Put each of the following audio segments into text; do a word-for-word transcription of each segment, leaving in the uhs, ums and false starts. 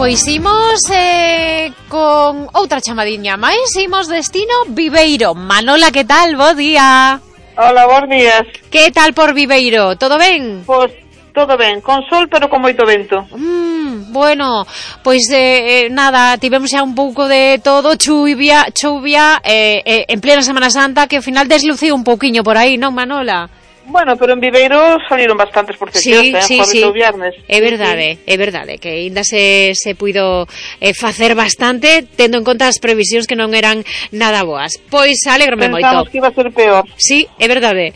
pois imos eh, con outra chamadiña máis, imos destino Viveiro. Manola, que tal? Bo día. Hola, bons días. Que tal por Viveiro? Todo ben? Pois todo ben, con sol pero con moito vento. Mm, bueno, pois eh, nada, tivemos xa un pouco de todo, chuvia, chuvia eh, eh, en plena Semana Santa, que ao final desluciu un pouquiño por aí, non, Manola? Bueno, pero en Viveiro saliron bastantes procesións, sí, eh, sí, jueves sí. ou viernes. É verdade, sí. é verdade, que ainda se, se puido eh, facer bastante, tendo en conta as previsións que non eran nada boas. Pois alégrome moito. Pensamos que iba a ser peor. Sí, é verdade.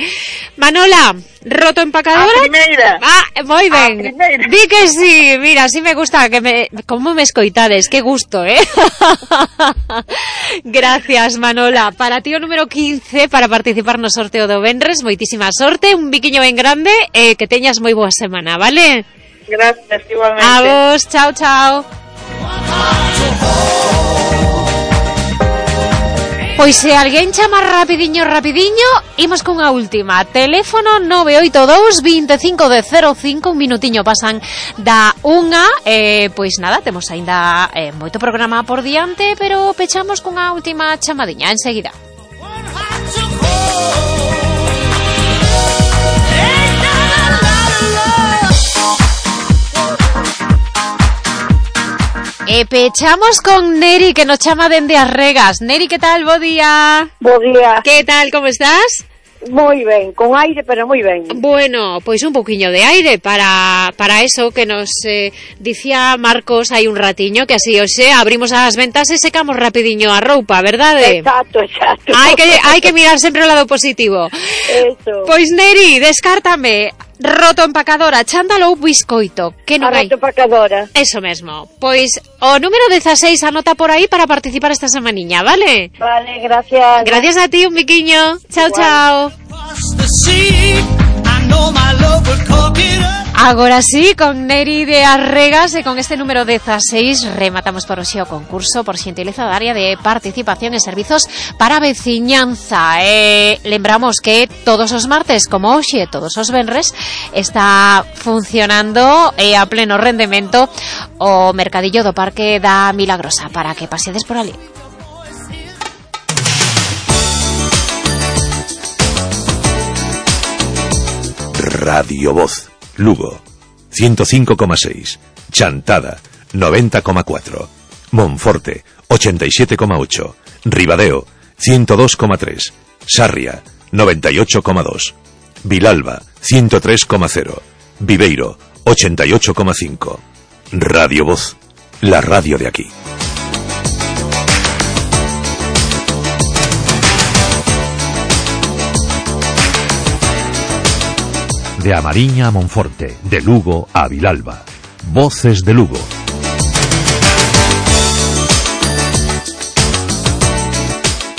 Manola, roto empacadora? A primeira. Ah, moi ben. A primeira. Di que sí, mira, así me gusta que me como me escoitades, que gusto, eh. Gracias, Manola. Para ti o número quince para participar no sorteo do venres, moitísima sorte, un biquiño ben grande e eh, que teñas moi boa semana, vale? Gracias, igualmente. A vos, chao, chao. Pois se alguén chama rapidiño, rapidiño, imos cunha última. Teléfono nove oito dous, veinticinco de cero cinco, un minutiño pasan da unha. Eh, pois nada, temos aínda eh, moito programa por diante, pero pechamos cunha última chamadiña enseguida. E pechamos con Neri, que nos chama dende as Regas. Neri, que tal? Bo día. Bo día. Que tal? Como estás? Moi ben, con aire, pero moi ben. Bueno, pois un pouquiño de aire para para eso que nos eh, dicía Marcos hai un ratiño, que así, oxe, abrimos as ventas e secamos rapidiño a roupa, verdade? Exacto, exacto. Hai que hai que mirar sempre o lado positivo. Eso. Pois Neri, descártame. Roto empacadora, chándalo ou biscoito, que non hai? Roto empacadora. Eso mesmo. Pois o número dieciséis anota por aí para participar esta semaniña, vale? Vale, gracias. Gracias a ti, un biquiño. Chao, Igual. chao. Agora sí, con Neri de Arregas e con este número dieciséis rematamos por hoxe o concurso por xentileza da área de participación e servizos para veciñanza. Eh, lembramos que todos os martes, como hoxe, todos os venres, está funcionando eh, a pleno rendemento o mercadillo do Parque da Milagrosa para que paseades por ali. Radio Voz, Lugo, ciento cinco coma seis, Chantada, noventa coma cuatro, Monforte, ochenta y siete coma ocho, Ribadeo, ciento dos coma tres, Sarria, noventa y ocho coma dos, Vilalba, ciento tres coma cero, Viveiro, ochenta y ocho coma cinco. Radio Voz, la radio de aquí. De A Mariña a Monforte, de Lugo a Vilalba. Voces de Lugo.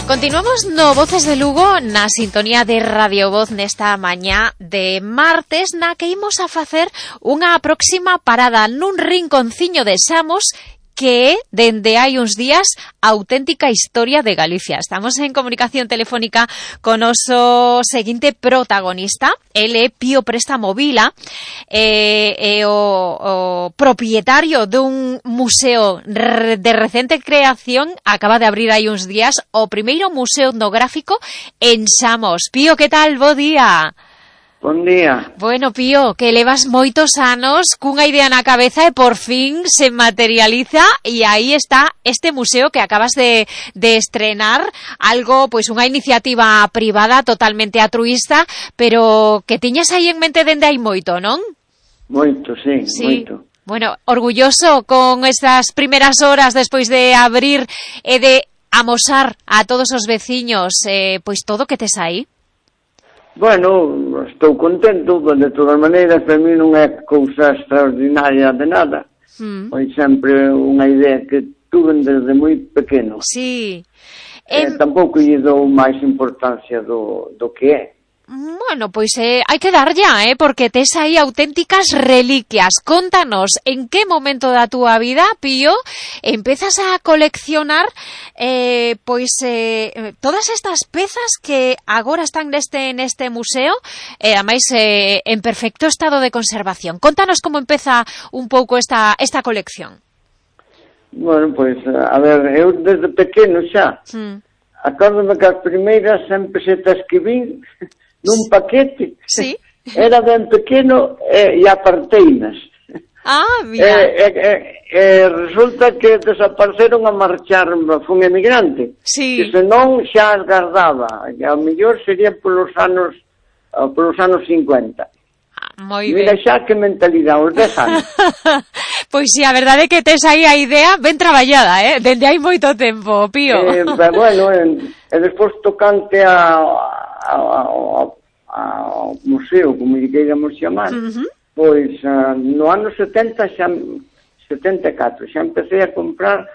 Continuamos no Voces de Lugo na sintonía de Radio Voz nesta mañá de martes, na que imos a facer unha próxima parada nun rinconciño de Samos que é, dende hai uns días, a auténtica historia de Galicia. Estamos en comunicación telefónica con o noso seguinte protagonista. Ele é Pío Préstamo Vila, é, é o, o propietario dun museo de recente creación. Acaba de abrir hai uns días o primeiro museo etnográfico en Samos. Pío, que tal? Bo día. Bon día. Bueno, Pío, que levas moitos anos cunha idea na cabeza e por fin se materializa e aí está este museo que acabas de, de estrenar, algo, pois unha iniciativa privada totalmente altruísta, pero que tiñas aí en mente dende hai moito, non? Moito, sí, sí. moito. Bueno, orgulloso con estas primeras horas despois de abrir e de amosar a todos os veciños, eh, pois todo que tes aí. Bueno, estou contento, de todas maneiras, para mí non é cousa extraordinaria de nada. Mm. Foi sempre unha idea que tuve desde moi pequeno. Sí. Eh, em... Tampouco lle dou máis importancia do, do que é. Bueno, pois eh, hai que dar ya, eh, porque tes aí auténticas reliquias. Contanos, en que momento da túa vida, Pío, empezas a coleccionar eh, pois eh, todas estas pezas que agora están neste neste museo, e eh, ademais eh, en perfecto estado de conservación. Contanos como empeza un pouco esta esta colección. Bueno, pois, a ver, eu desde pequeno xa, Mm. acórdome que as primeiras cen pesetas que vin nun paquete, Sí. era ben pequeno e, e aparteinas. Ah, E, mira. e, e, e resulta que desapareceron a marchar, fun emigrante. Sí. Que senón xa as guardaba, e ao mellor sería polos anos, ah, polos anos cincuenta. Ah, moi Mira ben. xa que mentalidade, os dez anos. Pois si, a verdade é que tes aí a idea ben traballada, eh? Dende hai moito tempo, Pío. Eh, pero bueno, e, e despois tocante a, a, a, a, ao museo, como lle queiramos chamar, Ujú. pois ah, no ano setenta xa, setenta e catro, xa empecé a comprar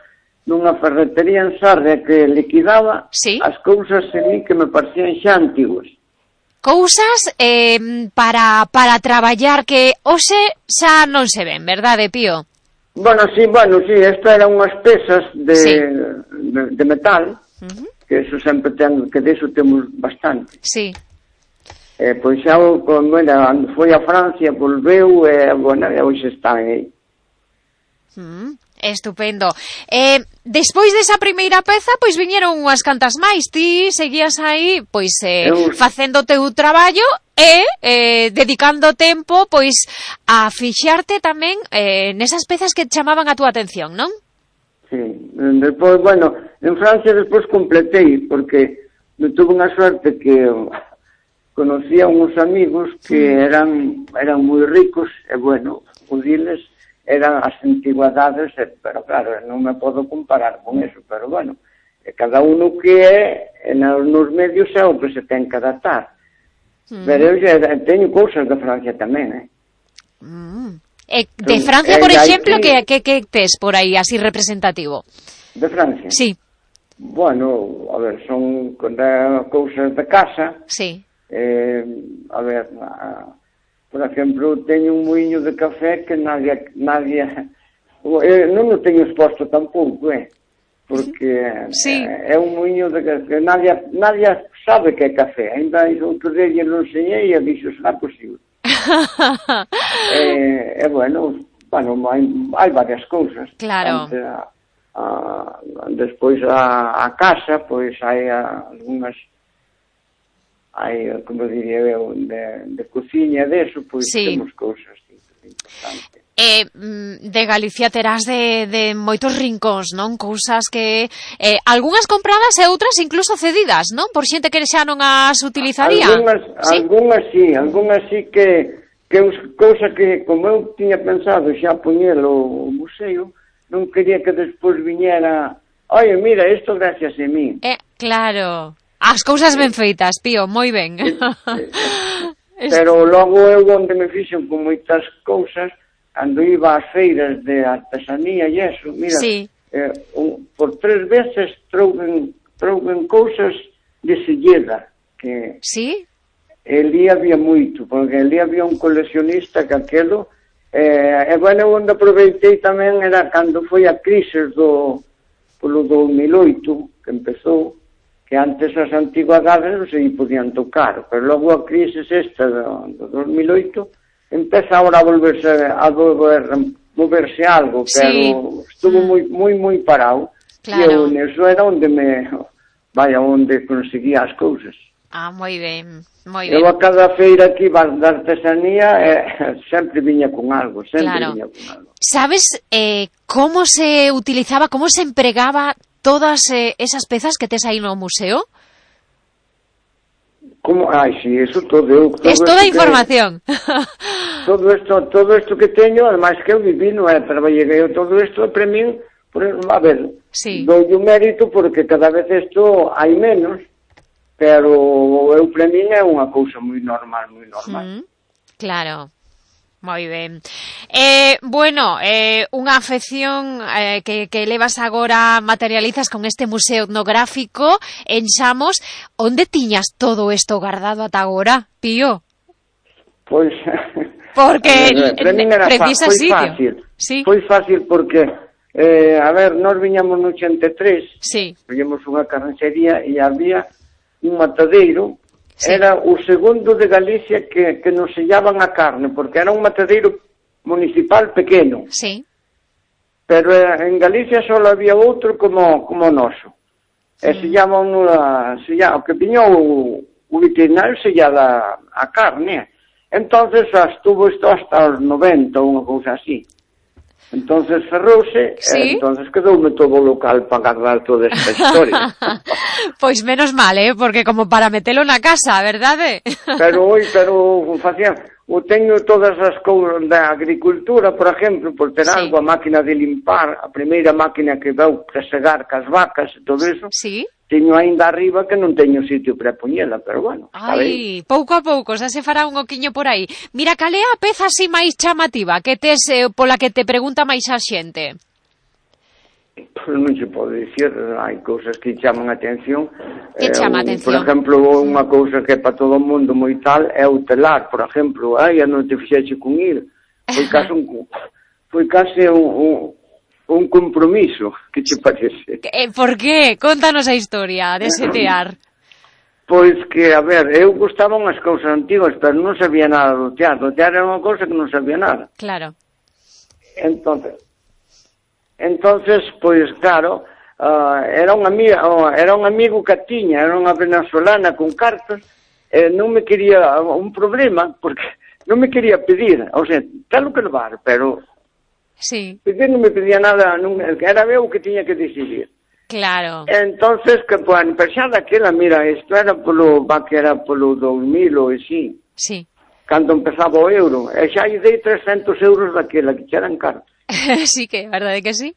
nunha ferretería en Sarria que liquidaba Sí. as cousas en mí que me parecían xa antiguas. Cousas eh, para, para traballar que hoxe xa non se ven, verdade, Pío? Bueno, sí, bueno, sí, esto eran unhas pesas de, Sí. de, de metal, Ujú. que eso sempre ten, que de eso temos bastante. Sí. Eh, pois xa, como era, foi a Francia, volveu, e, bueno, e hoxe están aí. Mm, estupendo. Eh, despois desa primeira peza, pois viñeron unhas cantas máis. Ti seguías aí, pois, eh, Eu- facendo o teu traballo e eh, dedicando tempo, pois, a fixarte tamén eh, nesas pezas que chamaban a túa atención, non? Sí. Despois, bueno, en Francia despois completei, porque me tuve unha suerte que conocía uns amigos que eran eran moi ricos, e bueno, o diles eran as antigüedades, e, pero claro, non me podo comparar con eso, pero bueno, e cada uno que é, e nos medios é o que se ten que adaptar. Mm. Pero eu xa teño cousas de Francia tamén, eh? Mm. E de Entón, Francia, por eh, aí exemplo, sí. que, que, que tes por aí así representativo? De Francia? Sí, Bueno, a ver, son de, cousas de casa. sí. Eh, a ver, a, por exemplo, teño un muiño de café que nadie, nadie eh, non o teño exposto tampouco, eh, porque Sí. eh, é un muiño de que, que nadie, nadie sabe que é café. Ainda outro día lle lo enseñei e dixo, será posible. eh, e bueno, bueno, hai, hai varias cousas. Claro. Ante a, a, despois a, a casa, pois hai a, algunhas hai, como diría eu, de, de cociña, deso, pois Sí. temos cousas importantes. Eh, mm, de Galicia terás de, de moitos rincóns, non? Cousas que eh, algunhas compradas e outras incluso cedidas, non? Por xente que xa non as utilizaría. Algunhas, Sí? algunhas sí, algunhas sí que que us, cousa que, como eu tiña pensado xa poñelo o museo, non quería que despois viñera, oye, mira, isto gracias a mí. Eh, claro. As cousas ben feitas, Pío, moi ben. Pero logo eu onde me fixen con moitas cousas, cando iba ás feiras de artesanía e eso, mira, Sí. eh, un, por tres veces trouben, trouben cousas de Silleda, que Sí? ali había moito, porque ali había un coleccionista que aquelo, eh, e bueno, onde aproveitei tamén era cando foi a crise do, polo do dos mil oito, que empezou, que antes as antigüedades non se podían tocar, pero logo a crise esta do, do dos mil oito empeza ahora a volverse a volver, moverse algo, Sí. pero estuvo moi moi moi parado. Claro. E eu neso era onde me vaya onde conseguía as cousas. Ah, moi ben, moi ben. Eu a cada feira que iba da artesanía eh, sempre viña con algo, sempre Claro. viña con algo. Sabes eh, como se utilizaba, como se empregaba todas eh, esas pezas que tes aí no museo? Como, ai, si, eso todo eu. Todo Es toda a esto que- información. Todo isto, todo isto que teño, ademais que eu viví, non é, traballei eu todo isto para min, por, a ver, Sí. dou o mérito porque cada vez isto hai menos, pero eu para min é unha cousa moi normal, moi normal. Mm, claro. Moi ben. Eh, bueno, eh, unha afección eh, que, que levas agora, materializas con este museo etnográfico en Xamos. Onde tiñas todo isto guardado ata agora, Pío? Pois, Porque a ver, para min era fa- precisa foi sitio. fácil. Sí. Foi fácil porque, eh, a ver, nós viñamos no ochenta e tres, Sí. viñamos unha carnicería e había un matadeiro. Sí. Era o segundo de Galicia que, que nos sellaban a carne, porque era un matadeiro municipal pequeno. Sí. pero en Galicia só había outro como como noso. Sí. E se llama unha, se llama, o que piñou o, o veterinario se llama a carne. Entonces estuvo isto hasta os noventa, unha cousa así. Entonces cerrouse, ¿sí? E entonces quedoume todo o local para guardar toda esta historia. Pois menos mal, eh, porque como para metelo na casa, verdade? Pero oi, pero facía, o teño todas as cousas da agricultura, por exemplo, por ter sí. algo, a máquina de limpar, a primeira máquina que veu para segar cas vacas e todo eso. Sí. Teño ainda arriba que non teño sitio para poñela, pero bueno, está Ai, ben. Pouco a pouco, xa se fará un oquiño por aí. Mira, cal é a peza así máis chamativa que tes eh, pola que te pregunta máis a xente? Pois non se pode dicir, hai cousas que chaman a atención. Que chama a atención? Por exemplo, unha cousa que é para todo o mundo moi tal é o telar, por exemplo. Ai, non te fixeche con ir. Foi case un, foi case un, un un compromiso, que te parece? Eh, por qué? Contanos a historia de ese tear. Pois que, a ver, eu gustaban as cousas antigas, pero non sabía nada do tear. Do tear era unha cousa que non sabía nada. Claro. Entonces, entonces pois claro, uh, era un amigo, uh, era un amigo que tiña, era unha venezolana con cartas, e non me quería un problema, porque non me quería pedir, o sea, telo que levar, pero sí. Pedir non me pedía nada, non, era eu que tiña que decidir. Claro. Entonces, que, bueno, pero xa daquela, mira, isto era polo, va que era polo dos mil ou así. Sí. Cando empezaba o euro, e xa lle dei trescentos euros daquela, que xa eran caros. Sí que, verdade que sí?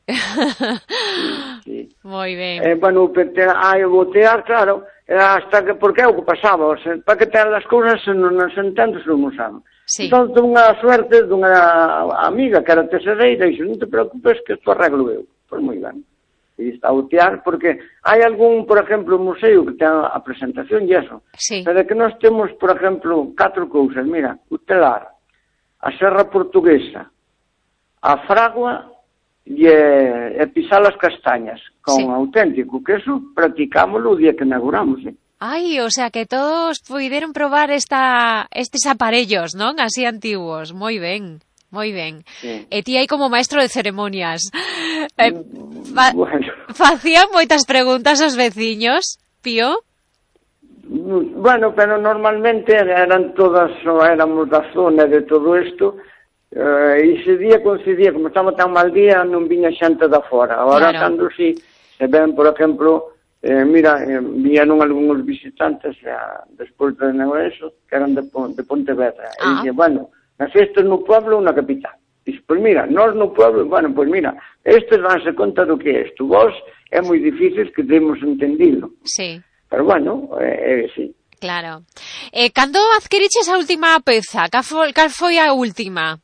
Sí. Moi ben. Eh, bueno, ai, o botear, claro, hasta que, porque é o que pasaba, o sea, para que ter as cousas non se entendo se non usaban. Sí. Entón, dunha suerte dunha amiga que era tesoreira, e dixo, non te preocupes que isto arreglo eu. Pois moi ben. E está a botear, porque hai algún, por exemplo, museo que ten a presentación e eso. Sí. Pero que nós temos, por exemplo, catro cousas, mira, o telar, a serra portuguesa, a fragua e, e pisar as castañas, con sí. auténtico, que eso practicámoslo o día que inauguramos, eh? Ai, o sea que todos puideron probar esta estes aparellos, non? Así antiguos. Moi ben, moi ben. Sí. E ti aí como maestro de ceremonias. Eh, fa bueno. Facían moitas preguntas aos veciños, Pío? Bueno, pero normalmente eran todas, éramos da zona de todo isto, uh, e se día coincidía, como estaba tan mal día, non viña xente da fora. Agora, claro. Cando si, se ven, por exemplo, Eh, mira, eh, vieron algúns visitantes eh, despois de eso, que eran de, de Pontevedra. Ah. E dije, bueno, as festas no pueblo ou na capital. Dice, pois mira, nós no pueblo, bueno, pois mira, estes danse conta do que é isto. Vos é moi difícil que demos entendido. Sí. Pero bueno, eh, eh, sí. Claro. Eh, cando adquiriches a última peza? Cal foi, cal foi a última?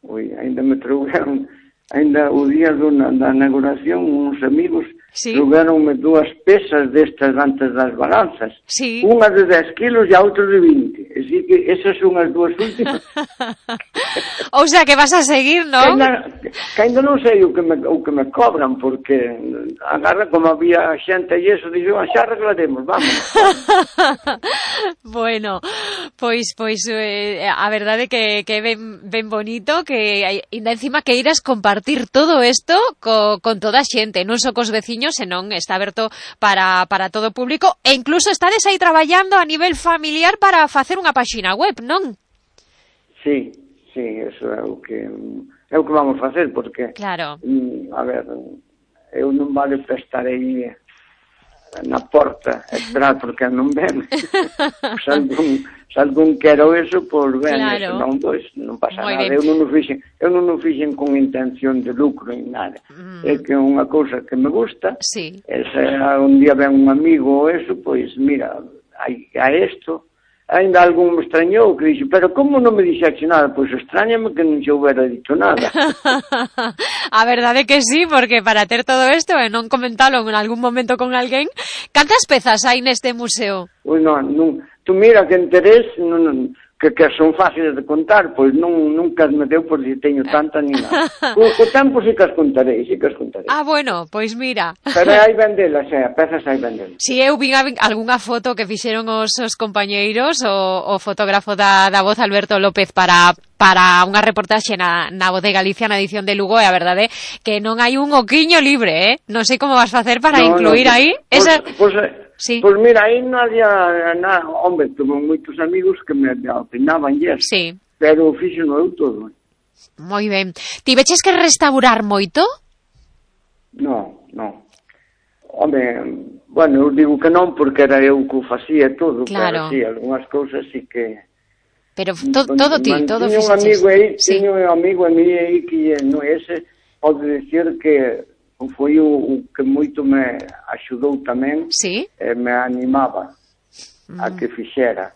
Ui, ainda me trouxeron, ainda o día do, da inauguración, uns amigos sí. trouxeronme dúas pesas destas antes das balanzas. Sí. Unha de dez kilos e a outra de vinte. Así que esas son as dúas últimas. O sea, que vas a seguir, non? Que ainda, que ainda non sei o que me, o que me cobran, porque agarra como había xente e eso, dixo, xa arreglaremos, vamos. Bueno, pois pois eh, a verdade que que ben ben bonito, que ainda encima que irás compartir todo isto co, con toda a xente, non só cos veciños, senón está aberto para para todo o público, e incluso estades aí traballando a nivel familiar para facer unha páxina web, non? Sí, sí, eso é o que é o que vamos facer, porque claro. A ver, eu non vale para estar aí na porta esperar porque non ven. Se algún, se algún quero eso, pois ben, claro. Non, pois, non pasa Muy nada. Bien. Eu non o fixen, eu non o fixen con intención de lucro en nada. Mm. É que é unha cousa que me gusta. Sí. E se un día ven un amigo ou eso, pois mira, hai a isto. Ainda algún me extrañou que dixo, pero como non me dixaxe nada? Pois extrañame que non se houbera dito nada. A verdade que sí, porque para ter todo isto e non comentalo en algún momento con alguén, cantas pezas hai neste museo? Ui, non, non, tú mira que interés, non, non, que, que son fáciles de contar, pois non, nunca me deu por si teño tanta ni nada. O, o tempo sí que as contarei, sí que as contarei. Ah, bueno, pois mira. Pero hai vendelas, eh, a pezas hai vendelas. Si eu vi algunha foto que fixeron os, os compañeiros, o, o fotógrafo da, da Voz, Alberto López, para para unha reportaxe na, na Voz de Galicia, na edición de Lugo, e a verdade que non hai un oquiño libre, eh? Non sei como vas facer para no, incluir no, aí. Pois, esa... pois, sí. pois mira, aí non había nada, hombre, tuve moitos amigos que me opinaban yes, sí. Pero fixo no eu todo. Moi ben. Tiveches que restaurar moito? No, no. Hombre, bueno, eu digo que non porque era eu que o facía todo, claro. Pero sí, algunhas cousas sí que... Pero to, todo ti, todo fixeches. Un amigo aí, sí. Tiño un amigo a mí aí que no ese, pode decir que foi o, o que moito me axudou tamén, sí. E me animaba mm. a que fixera.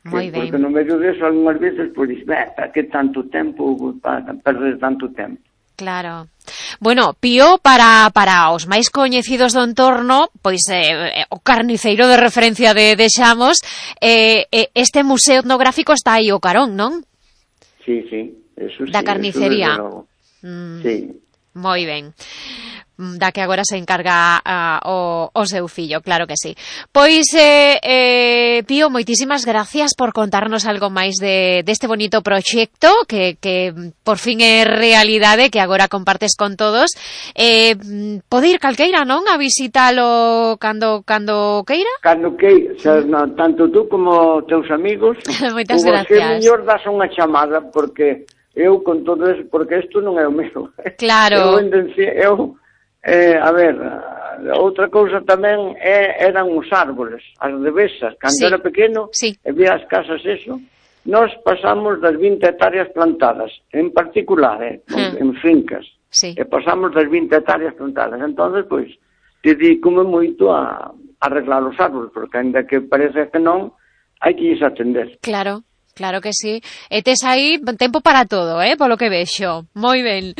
Moi ben. Porque no medio deso, algunhas veces, pois, para que tanto tempo, para perder tanto tempo. Claro. Bueno, Pío, para, para os máis coñecidos do entorno, pois eh, o carniceiro de referencia de, de Xamos, eh, eh, este museo etnográfico está aí o carón, non? Sí, sí, eso sí. Da carnicería. Mm, sí. Moi ben. Da que agora se encarga uh, o, o seu fillo, claro que sí. Pois, eh, eh, Pío, moitísimas gracias por contarnos algo máis de deste bonito proxecto que, que por fin é realidade, que agora compartes con todos. Eh, pode ir calqueira, non? A visitalo cando cando queira? Cando queira, xa, no, tanto tú como teus amigos. Moitas gracias. O mellor das unha chamada, porque eu con todo eso, porque isto non é o meu. Claro. Eu, eu Eh, a ver, outra cousa tamén é, eran os árboles, as devesas. Cando sí. era pequeno, sí. E vía as casas eso, nós pasamos das vinte hectáreas plantadas, en particular, eh, hmm. en fincas. Sí. E pasamos das vinte hectáreas plantadas. Entonces, pois, dedícome moito a, a arreglar os árboles, porque ainda que parece que non, hai que lles atender. Claro. Claro que sí. E tes aí tempo para todo, eh, polo que vexo. Moi ben.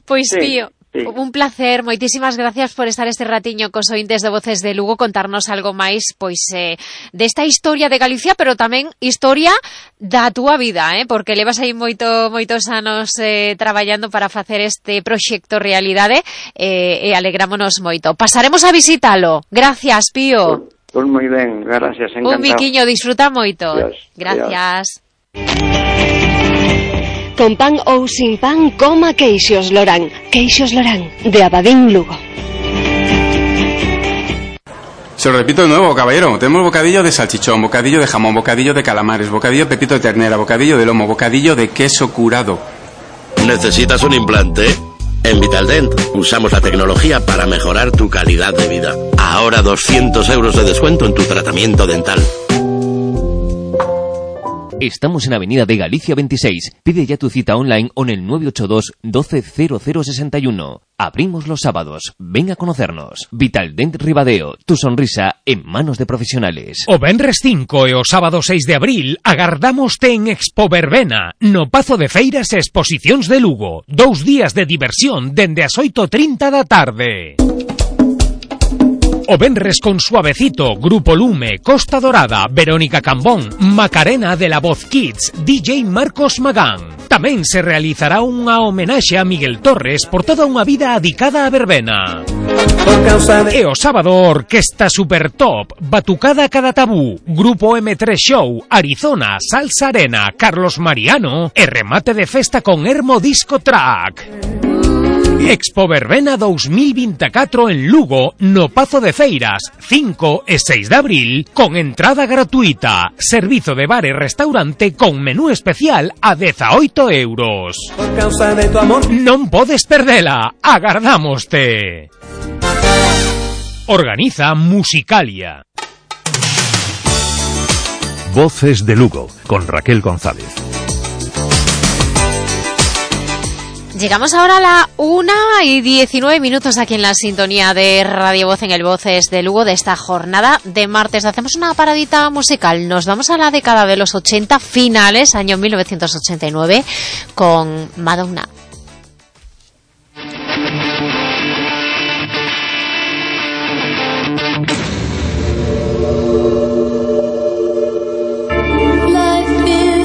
Pois, sí. Tío, sí. Un placer, moitísimas gracias por estar este ratiño cos ointes de Voces de Lugo, contarnos algo máis, pois, eh, desta historia de Galicia, pero tamén historia da túa vida, eh, porque levas aí moito, moitos anos eh, traballando para facer este proxecto realidade, eh, e alegrámonos moito. Pasaremos a visitalo. Gracias, Pío. Pois, pois moi ben, gracias, encantado. Un biquiño, disfruta moito. Dios, gracias. Dios. Con pan ou sin pan, coma Queixos Lorán. Queixos Lorán, de Abadín, Lugo. Se lo repito de nuevo, caballero. Tenemos bocadillo de salchichón, bocadillo de jamón, bocadillo de calamares, bocadillo de pepito de ternera, bocadillo de lomo, bocadillo de queso curado. ¿Necesitas un implante? En Vitaldent usamos la tecnología para mejorar tu calidad de vida. Ahora doscientos euros de descuento en tu tratamiento dental. Estamos en Avenida de Galicia veintiséis. Pide ya tu cita online o en el nueve ocho dos, doce, cero cero sesenta y uno. Abrimos los sábados. Ven a conocernos. Vitaldent Ribadeo. Tu sonrisa en manos de profesionales. O venres cinco e o sábado seis de abril agardámoste en Expo Verbena, no Pazo de Feiras e Exposicións de Lugo. Dous días de diversión dende as oito e trinta da tarde. O venres con Suavecito, Grupo Lume, Costa Dorada, Verónica Cambón, Macarena de la Voz Kids, D J Marcos Magán. Tamén se realizará unha homenaxe a Miguel Torres por toda unha vida adicada a verbena. E o sábado, Orquesta Super Top, Batucada Cada Tabú, Grupo eme tres Show, Arizona, Salsa Arena, Carlos Mariano e remate de festa con Hermo Disco Track. Expo Verbena dous mil veinticuatro en Lugo, no Pazo de Feiras, cinco e seis de abril, con entrada gratuita. Servizo de bar e restaurante con menú especial a dezaoito euros. Por causa de tu amor. Non podes perdela, agardámoste. Organiza Musicalia. Voces de Lugo, con Raquel González. Llegamos ahora a la una y diecinueve minutos aquí en la sintonía de Radio Voz en el Voces de Lugo de esta jornada de martes. Hacemos una paradita musical. Nos vamos a la década de los ochenta finales, año mil novecientos ochenta y nueve, con Madonna. Life is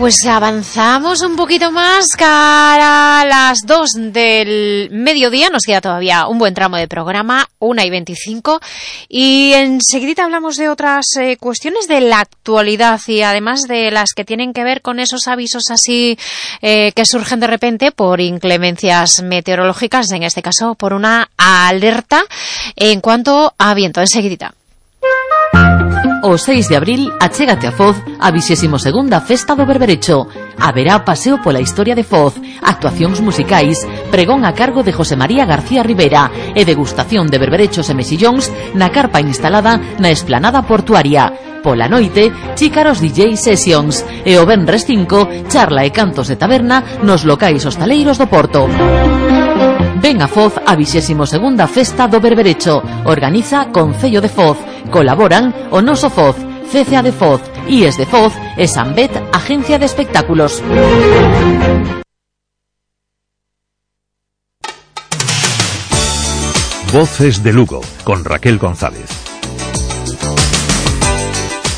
pues avanzamos un poquito más cara a las dos del mediodía. Nos queda todavía un buen tramo de programa, una y veinticinco. Y enseguida hablamos de otras eh, cuestiones de la actualidad y además de las que tienen que ver con esos avisos así eh, que surgen de repente por inclemencias meteorológicas, en este caso por una alerta en cuanto a viento. Enseguida. O seis de abril achégate a Foz a vixésima segunda Festa do Berberecho. Haberá paseo pola historia de Foz, actuacións musicais, pregón a cargo de José María García Rivera e degustación de berberechos e mexillóns na carpa instalada na esplanada portuaria. Pola noite, chícaros D J Sessions e o venres cinco, charla e cantos de taberna nos locais hostaleiros do Porto. Ven a Foz a vixésima segunda Festa do Berberecho. Organiza Concello de Foz. Colaboran o Noso Foz, C C A de Foz, I E S de Foz e Sanbet, Agencia de Espectáculos. Voces de Lugo, con Raquel González.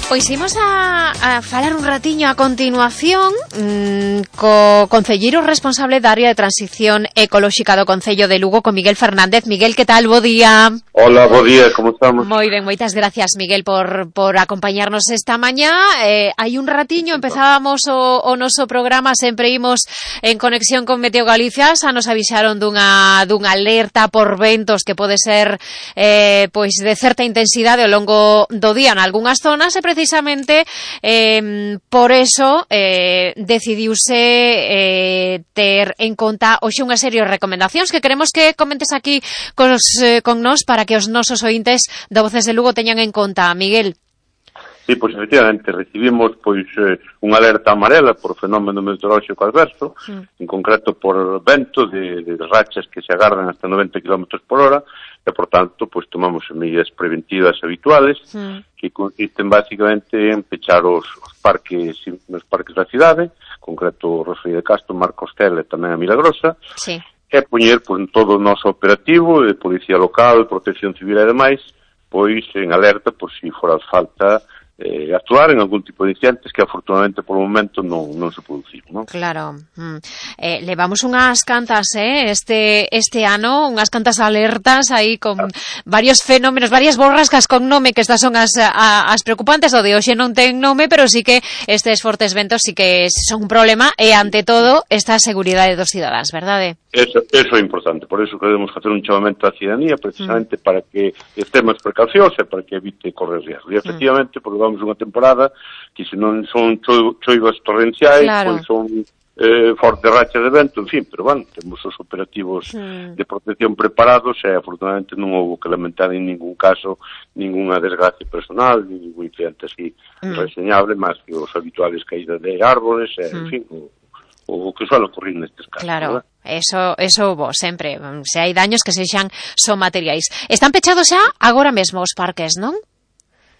Pois imos a, a falar un ratiño a continuación mmm, co concelleiro responsable da área de transición ecolóxica do Concello de Lugo, con Miguel Fernández. Miguel, que tal? Bo día. Hola, bo día, como estamos? Moi ben, moitas gracias, Miguel, por, por acompañarnos esta mañá. Eh, hai un ratiño empezábamos o, o noso programa, sempre imos en conexión con Meteo Galicia, xa nos avisaron dunha, dunha alerta por ventos que pode ser eh, pois de certa intensidade ao longo do día en algunhas zonas, e precisamente eh, por eso eh, decidiuse eh, ter en conta hoxe unha serie de recomendacións que queremos que comentes aquí con, os, eh, con nos para que os nosos ointes de Voces de Lugo teñan en conta. Miguel. Sí, pois efectivamente recibimos pois eh, unha alerta amarela por fenómeno meteorolóxico adverso, mm. en concreto por vento de, de rachas que se agardan hasta noventa kilómetros por hora, e por tanto pois tomamos medidas preventivas habituales mm. que consisten basicamente en pechar os, os parques os parques da cidade, en concreto Rosalía de Castro, Marcostela e tamén a Milagrosa, sí. e poñer pois, todo o noso operativo de Policía Local, Protección Civil e demais, pois en alerta por si fora falta eh, actuar en algún tipo de incidentes que afortunadamente por o momento non, non se produciron, non? Claro. Mm. Eh, levamos unhas cantas eh, este este ano, unhas cantas alertas aí con ah. varios fenómenos, varias borrascas con nome, que estas son as, a, as preocupantes. O de hoxe non ten nome, pero sí que estes fortes ventos sí que son un problema, e ante todo esta seguridade dos cidadáns, verdade? Eso, eso é importante, por eso queremos facer un chamamento á cidadanía precisamente mm. para que estemos precaucións e para que evite correr riesgo. E efectivamente, mm. porque vamos unha temporada que se non son cho, choivas torrenciais, claro. pois son eh, fortes rachas de vento, en fin, pero bueno, temos os operativos mm. de protección preparados e afortunadamente non houve que lamentar en ningún caso ninguna desgracia personal, ningún incidente así mm. reseñable, máis que os habituales caídas de árboles, e, mm. en fin, o, o que suele ocurrir nestes casos. Claro. ¿verdad? Eso, eso bo, sempre. Se hai daños que sexan son materiais. Están pechados xa agora mesmo os parques, non?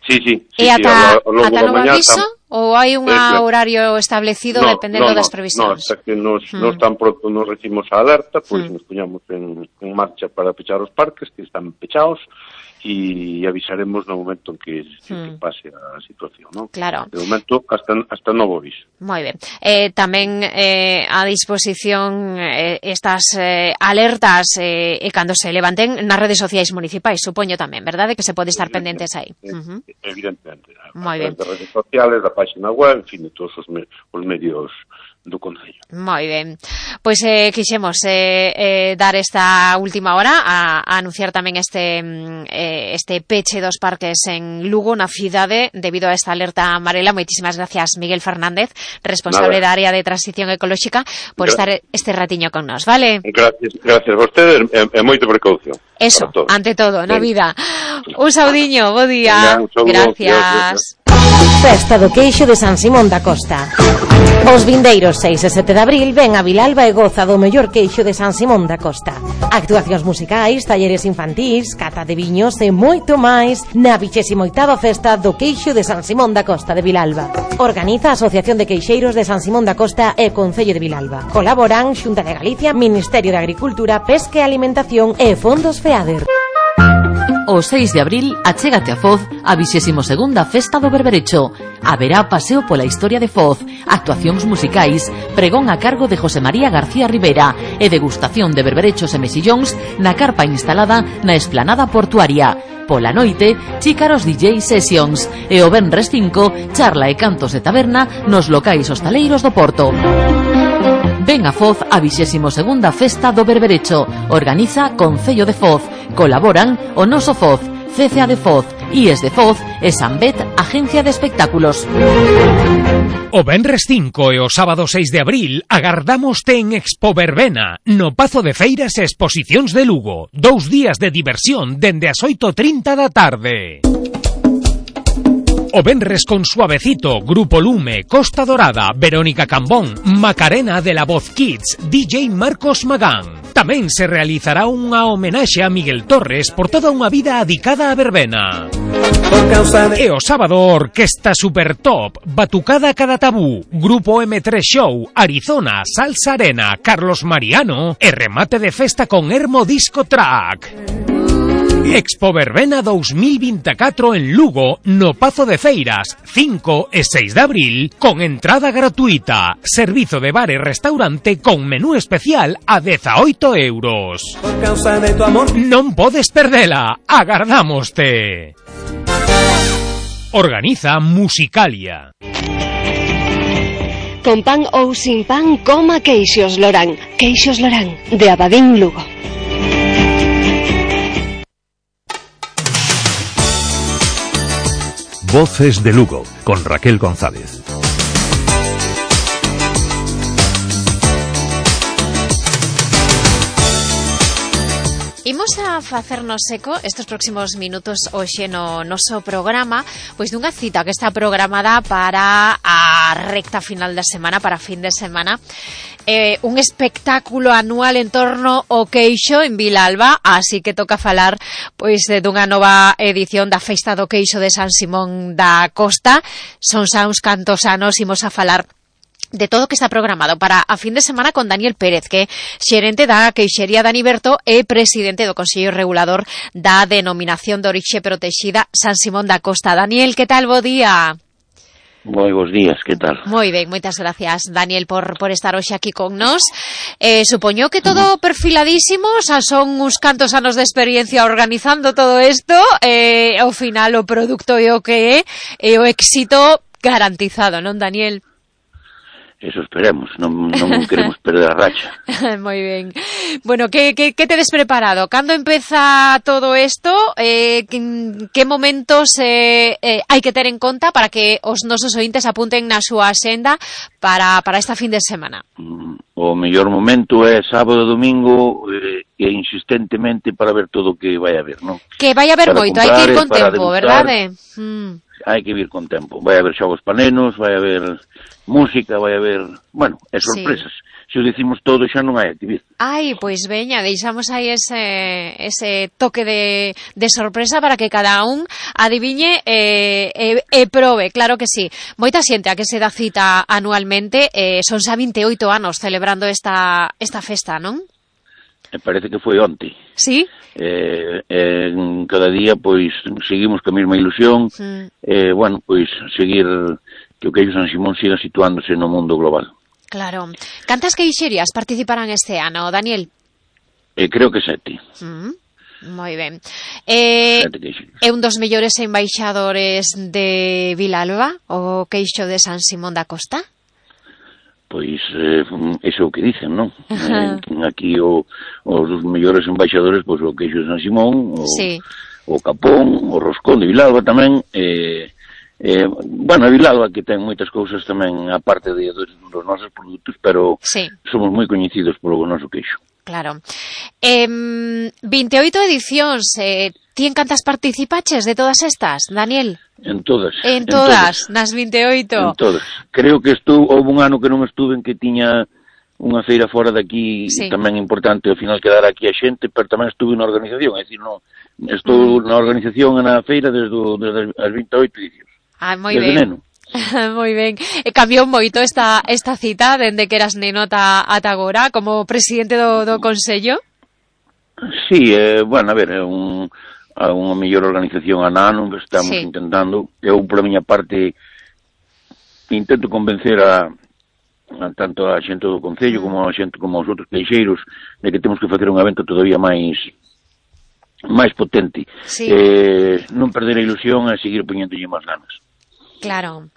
Sí, sí. E sí, ata, sí, a, a ata novo aviso? tam... Ou hai un eh, horario establecido no, dependendo no, das no, previsións? No, hasta que nos, hmm. nos tan pronto nos recibimos a alerta, pois pues, hmm. nos poñamos en, en marcha para pechar os parques que están pechados, e avisaremos no momento en que, hmm. que pase a situación, ¿no? Claro. De momento, hasta, hasta novo aviso. Moi ben. Eh, tamén eh, a disposición eh, estas eh, alertas eh, e cando se levanten nas redes sociais municipais, supoño tamén, verdade? Que se pode estar pendentes aí. Uh-huh. Evidentemente. Moi ben. Das redes sociales, da página web, en fin, de todos os, me, os medios do Concello. Moi ben. Pois eh, quixemos eh, eh, dar esta última hora a, a anunciar tamén este eh, este peche dos parques en Lugo, na cidade, debido a esta alerta amarela. Moitísimas gracias, Miguel Fernández, responsable Nada. da área de transición ecolóxica, por Gra- estar este ratiño con nos, vale? Gracias, gracias a vostedes e, e moita precaución. Eso, ante todo, na vida. Un saudiño, bo día. Venga, un saúdo, gracias. Dios, Dios. Festa do Queixo de San Simón da Costa. Os vindeiros seis e sete de abril ven a Vilalba e goza do mellor queixo de San Simón da Costa. Actuacións musicais, talleres infantís, cata de viños e moito máis na vixésima oitava Festa do Queixo de San Simón da Costa de Vilalba. Organiza a Asociación de Queixeiros de San Simón da Costa e Concello de Vilalba. Colaboran Xunta de Galicia, Ministerio de Agricultura, Pesca e Alimentación e Fondos FEADER. O seis de abril achégate a Foz a vixésimo segunda Festa do Berberecho. Haberá paseo pola historia de Foz, actuacións musicais, pregón a cargo de José María García Rivera e degustación de berberechos e mexillóns na carpa instalada na esplanada portuaria. Pola noite, chícaros D J Sessions e o venres cinco, charla e cantos de taberna nos locais hostaleiros do Porto. Ven a Foz a vixésimo segunda Festa do Berberecho. Organiza Concello de Foz. Colaboran o Noso Foz, C C A de Foz, I E S de Foz e Sanbet, Agencia de Espectáculos. O venres cinco e o sábado seis de abril agardámoste en Expo Verbena, no Pazo de Feiras e Exposicións de Lugo. Dous días de diversión dende as oito e trinta da tarde. O venres con Suavecito, Grupo Lume, Costa Dorada, Verónica Cambón, Macarena de la Voz Kids, D J Marcos Magán. Tamén se realizará unha homenaxe a Miguel Torres por toda unha vida adicada a verbena. E o sábado, Orquesta Super Top, Batucada Cada Tabú, Grupo M tres Show, Arizona, Salsa Arena, Carlos Mariano e remate de festa con Hermo Disco Track. Expo Verbena dous mil veinticuatro en Lugo, no Pazo de Feiras, cinco e seis de abril, con entrada gratuita. Servizo de bar e restaurante con menú especial a dezaoito euros. Non podes perdela, agardámoste. Organiza Musicalia. Con pan ou sin pan, coma Queixos Lorán. Queixos Lorán, de Abadín, Lugo. Voces de Lugo, con Raquel González. Imos a facernos eco estes próximos minutos hoxe no noso programa, pois dunha cita que está programada para a recta final da semana, para fin de semana. Eh, un espectáculo anual en torno ao queixo en Vilalba, así que toca falar pois dunha nova edición da Festa do Queixo de San Simón da Costa. Son xa uns cantos anos, imos a falar de todo o que está programado para a fin de semana con Daniel Pérez, que é xerente da Queixería Daniberto e presidente do Consello Regulador da Denominación de Orixe Protexida San Simón da Costa. Daniel, que tal? Bo día. Moi bons días, que tal? Moi ben, moitas gracias, Daniel, por, por estar hoxe aquí con nós. Eh, supoño que todo perfiladísimo, xa son uns cantos anos de experiencia organizando todo isto, eh, ao final o produto é o que é, e o éxito garantizado, non, Daniel? Eso esperemos, non, non queremos perder a racha. Moi ben. Bueno, que, que, que tedes preparado? Cando empeza todo isto? Eh, que, que momentos eh, eh, hai que ter en conta para que os nosos ointes apunten na súa axenda para, para esta fin de semana? O mellor momento é sábado e domingo eh, e insistentemente para ver todo o que vai haber, non? Que vai haber moito, hai que ir con tempo, verdade? Mm. Hai que ir con tempo. Vai haber xogos panenos, vai haber música, vai haber, bueno, e sorpresas. Sí. Se o dicimos todo xa non hai actividade. Ai, pois veña, deixamos aí ese, ese toque de, de sorpresa para que cada un adiviñe e, e, e probe, claro que sí. Moita xente a que se dá cita anualmente, eh, son xa veintioito anos celebrando esta, esta festa, non? Me parece que foi onte. Sí? Eh, eh, cada día, pois, seguimos ca mesma ilusión, mm. eh, bueno, pois, seguir que o Queixo San Simón siga situándose no mundo global. Claro. Cantas queixerías participarán este ano, Daniel? Eh, creo que sete. Mm. Moi ben. Eh, é un dos mellores embaixadores de Vilalba, o Queixo de San Simón da Costa? Pois, eh, eso é o que dicen, non? Eh, aquí o, os mellores embaixadores, pois o Queixo de San Simón, o, sí. o Capón, o Roscón de Vilalba tamén, eh, Eh, bueno, a Vilalba que ten moitas cousas tamén aparte de, de, dos nosos produtos, pero sí. somos moi coñecidos polo noso queixo. Claro. Eh, veintioito edicións, eh, ti en cantas participaches de todas estas, Daniel? En todas. En, en todas, todas, nas veintioito. En todas. Creo que estou, houve un ano que non estuve en que tiña unha feira fora de aquí, sí. tamén importante ao final quedar aquí a xente, pero tamén estuve na organización, é dicir, non, estou mm. na organización e na feira desde, desde as veintioito edicións. Ah, moi ben. Moi ben. E cambiou moito esta esta cita dende que eras neno ata, ata agora como presidente do, do Consello? Sí, eh, bueno, a ver, é un, a unha mellor organización a nano que estamos sí. intentando. Eu, por a miña parte, intento convencer a, a tanto a xente do Concello como a xente como aos outros queixeiros de que temos que facer un evento todavía máis máis potente. Sí. Eh, non perder a ilusión e seguir poñéndolle máis ganas. Claro.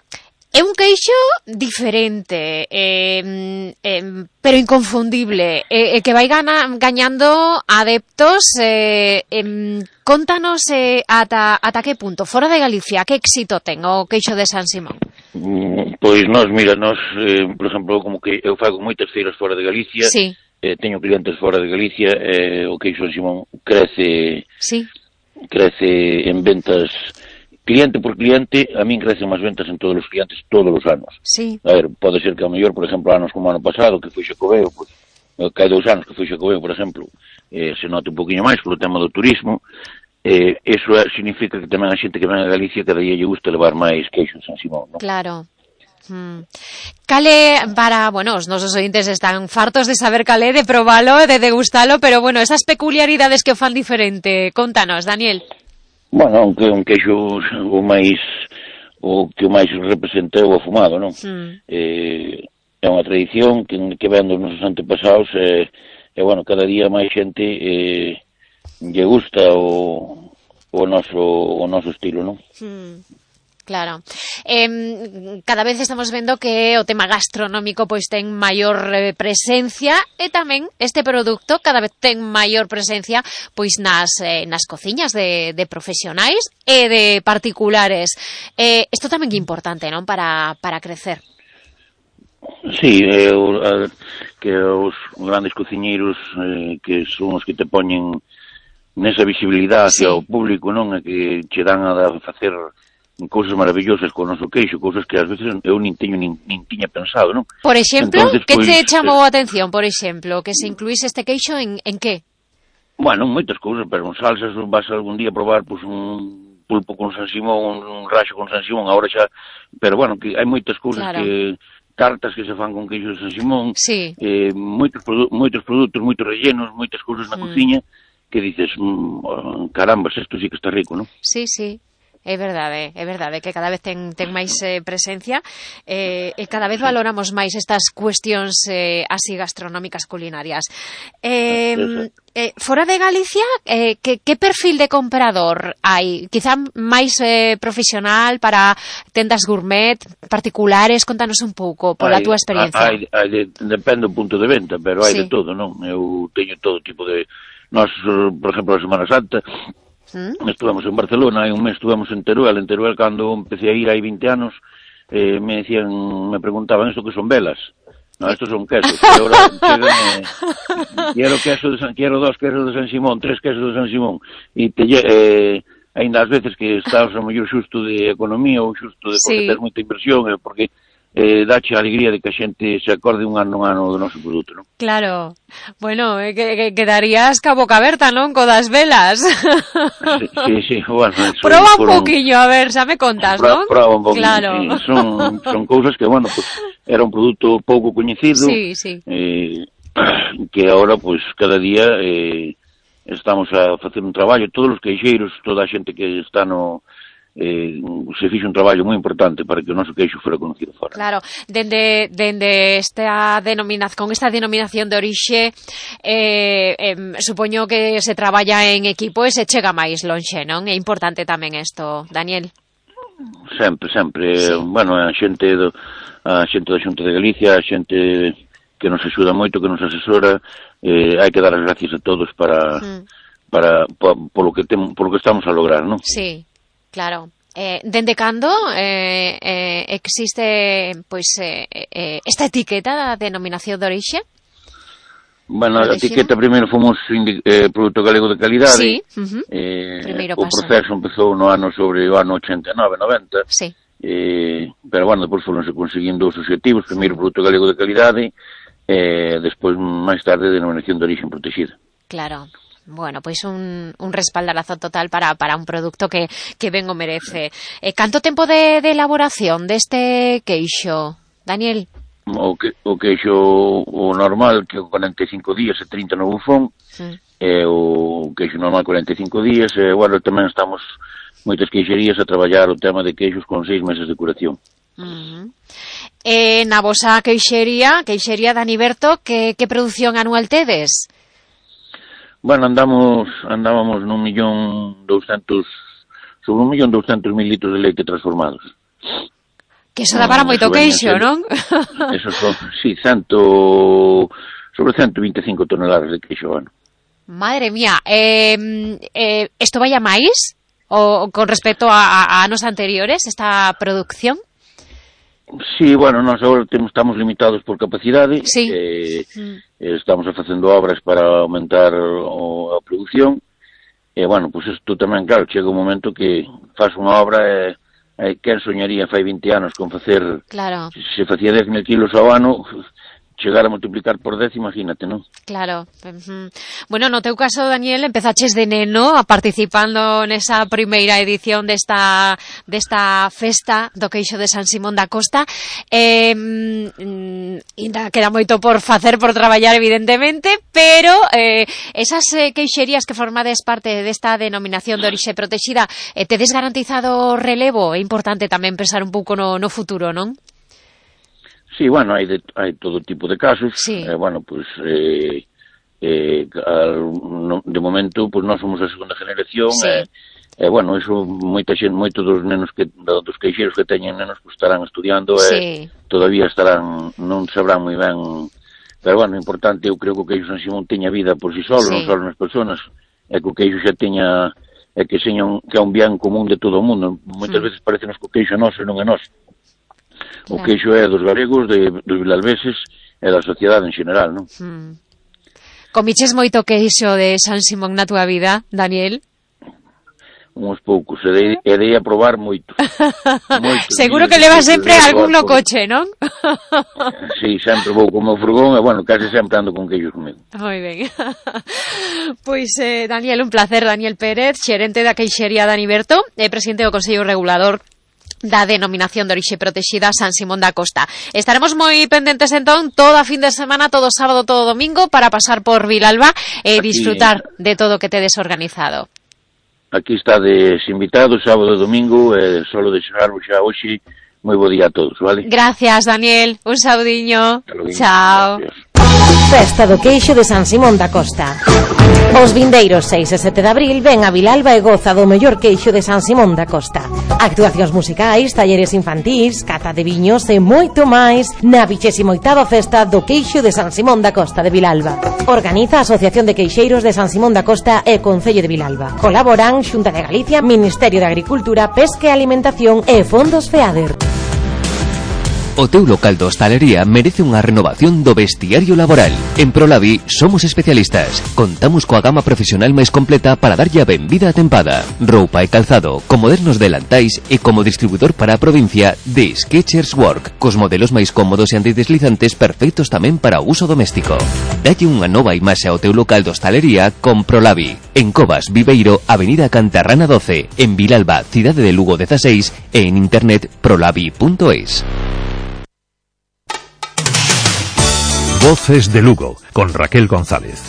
É un queixo diferente, eh, eh, pero inconfundible, eh, eh, que vai gana, gañando adeptos. Eh, eh, contanos eh, ata, ata que punto, fora de Galicia, que éxito ten o queixo de San Simón? Mm, pois nós, mira, nós, eh, por exemplo, como que eu fago moitas feiras fora de Galicia, sí. eh, teño clientes fora de Galicia, eh, o queixo de San Simón crece, sí. crece en ventas. Cliente por cliente, a min crecen máis ventas en todos os clientes todos os anos. Sí. A ver, pode ser que ao mellor, por exemplo, anos como ano pasado, que foi Xacobeo, pues, que hai dous anos que foi Xacobeo, por exemplo, eh, se note un poquinho máis polo tema do turismo, eh, eso significa que tamén a xente que ven a Galicia cada día lle gusta levar máis queixo de San Simón, non? Claro. Hmm. Cale, para, bueno, os nosos ointes están fartos de saber calé, de probalo, de degustalo, pero bueno, esas peculiaridades que o fan diferente, contanos, Daniel. Bueno, aunque un queixo o máis o que o máis representa é o afumado, non? Mm. Eh, é unha tradición que, que ven dos nosos antepasados e, eh, bueno, cada día máis xente eh, lle gusta o, o noso o noso estilo, non? Mm. Claro. Eh, cada vez estamos vendo que o tema gastronómico pois ten maior eh, presencia e tamén este produto cada vez ten maior presencia pois nas eh, nas cociñas de, de profesionais e de particulares. Eh, isto tamén é importante, non? Para, para crecer. Sí, eh, o, a, que os grandes cociñeiros eh, que son os que te poñen nesa visibilidade sí. ao público, non? E que che dan a facer cousas maravillosas con o noso queixo, cousas que ás veces eu nin teño nin, nin tiña pensado, non? Por exemplo, entonces, que pues, te chamou a atención, por exemplo, que se incluíse este queixo en, en que? Bueno, moitas cousas, pero en salsas vas algún día a probar pues, un pulpo con San Simón, un, un raxo con San Simón, agora xa, pero bueno, que hai moitas cousas claro. que tartas que se fan con queixo de San Simón, sí. eh, moitos, produ moitos produtos, moitos rellenos, moitas cousas na mm. cociña, que dices, mmm, caramba, isto sí que está rico, non? Sí, sí. É verdade, é verdade que cada vez ten, ten máis eh, presencia eh, e cada vez valoramos máis estas cuestións eh, así gastronómicas culinarias. Eh, eh, fora de Galicia, eh, que, que perfil de comprador hai? Quizá máis eh, profesional para tendas gourmet, particulares? Contanos un pouco pola túa experiencia. Hai, hai de, depende do punto de venta, pero hai sí. de todo, non? Eu teño todo tipo de... Nós, por exemplo, a Semana Santa... ¿Mm? Estuvemos en Barcelona, hai un mes estuvemos en Teruel, en Teruel cando empecé a ir hai vinte anos, eh, me decían, me preguntaban isto que son velas. No, estos son quesos. E ahora eh, quiero queso de San, quiero dos quesos de San Simón, tres quesos de San Simón. E te eh, ainda ás veces que estás a mellor xusto de economía ou xusto de porque sí. ter moita inversión, eh, porque eh, dache a alegría de que a xente se acorde un ano un ano do noso produto, non? Claro. Bueno, eh, que, que quedarías ca boca aberta, non? Co das velas. Sí, sí, sí. Bueno, proba un poquillo, a ver, xa me contas, non? Proba un poquillo, claro. Sí. Son, son cousas que, bueno, pues, era un produto pouco coñecido, sí, sí. Eh, que agora, pues, cada día eh, estamos a facer un traballo, todos os queixeiros, toda a xente que está no... Eh, se fixe un traballo moi importante para que o noso queixo fora conocido fora. Claro, dende, dende esta denominación, con esta denominación de orixe, eh, eh, supoño que se traballa en equipo e se chega máis lonxe, non? É importante tamén isto, Daniel. Sempre, sempre. Sí. Bueno, a xente, do, a xente da Xunta de Galicia, a xente que nos axuda moito, que nos asesora, eh, hai que dar as gracias a todos para, mm. para, para polo que tem, polo que estamos a lograr, non? Sí. Claro. Eh, dende cando eh, eh, existe pois eh, eh, esta etiqueta da denominación de orixe? Bueno, a etiqueta primeiro fomos eh, produto galego de calidade. Sí. Uh-huh. eh, o proceso empezou no ano sobre o ano ochenta e nove, noventa. Sí. Eh, pero bueno, depois foronse conseguindo os objetivos, primeiro produto galego de calidade, eh, despois máis tarde denominación de orixe protexida. Claro. Bueno, pois un, un respaldarazo total para, para un produto que, que ben o merece. Eh, canto tempo de, de elaboración deste queixo, Daniel? O, que, o queixo o normal, que é cuarenta e cinco días e trinta no bufón, sí. e o queixo normal cuarenta e cinco días, e, bueno, tamén estamos moitas queixerías a traballar o tema de queixos con seis meses de curación. Uh-huh. E na vosa queixería, queixería Dani Berto, que, que produción anual tedes? Bueno, andamos, andábamos nun millón douscentos, sobre un millón douscentos mil litros de leite transformados. Que eso dá para moito queixo, non? Eso son, sí, cento, sobre ciento veinticinco toneladas de queixo, bueno. Madre mía, eh, eh, isto vai a máis o con respecto a, a anos anteriores, esta producción? Sí, bueno, nós agora temos, estamos limitados por capacidade, sí. eh, mm. estamos facendo obras para aumentar o, a produción, e, bueno, pois pues isto tamén, claro, chega un momento que faz unha obra e, e quen soñaría fai vinte anos con facer, claro. se facía dez mil kilos ao ano, chegar a multiplicar por dez, imagínate, non? Claro. Uh-huh. Bueno, no teu caso, Daniel, empezaches de neno a participando nesa primeira edición desta desta festa do queixo de San Simón da Costa. Eh, ainda queda moito por facer, por traballar, evidentemente, pero eh, esas eh, queixerías que formades parte desta denominación de orixe protexida, eh, tedes garantizado relevo? É importante tamén pensar un pouco no, no futuro, non? Sí, bueno, hai, de, hai todo tipo de casos. Sí. Eh, bueno, pues, eh, eh, al, no, de momento, pues nós somos a segunda generación. Sí. Eh, eh, bueno, eso, moita xente, moitos dos nenos que, dos queixeiros que teñen nenos, pues estarán estudiando, sí. eh, todavía estarán, non sabrán moi ben. Pero, bueno, o importante, eu creo que o queixo San Simón teña vida por si solo, sí. non só nas personas, é que o queixo xa teña, é que, seña un, que é un bien común de todo o mundo. Moitas mm. veces parece que o queixo é noso e non é noso. O queixo é dos galegos, de, dos vilalveses e da sociedade en general, non? Mm. Comiches moito queixo de San Simón na túa vida, Daniel? Uns poucos, e dei, e dei a probar moito. moito Seguro que levas sempre algún no coche, non? Sí, sempre vou como furgón, e, bueno, case sempre ando con queixos comigo. Moi ben. Pois, eh, Daniel, un placer, Daniel Pérez, xerente da queixería Dani Berto, e presidente do Consello Regulador da denominación de orixe protexida San Simón da Costa. Estaremos moi pendentes entón todo a fin de semana, todo sábado, todo domingo, para pasar por Vilalba e disfrutar de todo o que tedes organizado. Aquí estades invitados sábado e domingo, e solo deixarvos xa hoxe moi bo día a todos, vale? Gracias, Daniel, un saudiño. Chao. Gracias. Festa do queixo de San Simón da Costa. Os vindeiros seis e sete de abril ven a Vilalba e goza do mellor queixo de San Simón da Costa. Actuacións musicais, talleres infantís, cata de viños e moito máis na vixésima oitava festa do queixo de San Simón da Costa de Vilalba. Organiza a Asociación de Queixeiros de San Simón da Costa e Concello de Vilalba. Colaboran Xunta de Galicia, Ministerio de Agricultura, Pesca e Alimentación e Fondos FEADER. O teu local de hostalería merece unha renovación do vestiario laboral. En Prolavi somos especialistas. Contamos coa gama profesional máis completa para darlle a benvida a tempada. Roupa e calzado, con modernos delantais e como distribuidor para a provincia de Skechers Work, cos modelos máis cómodos e antideslizantes perfectos tamén para o uso doméstico. Dalle unha nova imaxe ao teu local de hostalería con Prolavi. En Covas, Viveiro, Avenida Cantarrana doce, en Vilalba, Cidade de Lugo dieciséis e en internet prolavi punto es. Voces de Lugo, con Raquel González.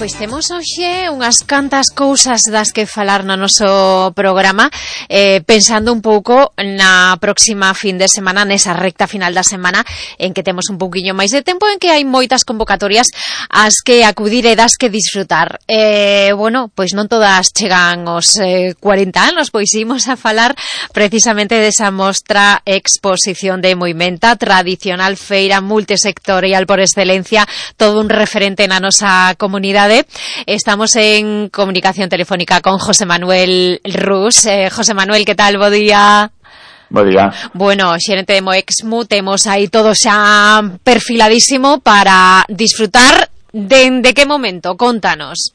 Pois temos hoxe unhas cantas cousas das que falar no noso programa, eh, pensando un pouco na próxima fin de semana, nesa recta final da semana, en que temos un pouquiño máis de tempo, en que hai moitas convocatorias ás que acudir e das que disfrutar. Eh, bueno, pois non todas chegan aos eh, cuarenta anos, pois imos a falar precisamente desa mostra exposición de Moimenta, tradicional feira multisectorial por excelencia, todo un referente na nosa comunidade. Estamos en comunicación telefónica con José Manuel Rus. Eh, José Manuel, ¿qué tal? Bo día. Bo día. Bueno, xerente de Moexmu, temos aí todo xa perfiladísimo para disfrutar. De, de que momento? Contanos.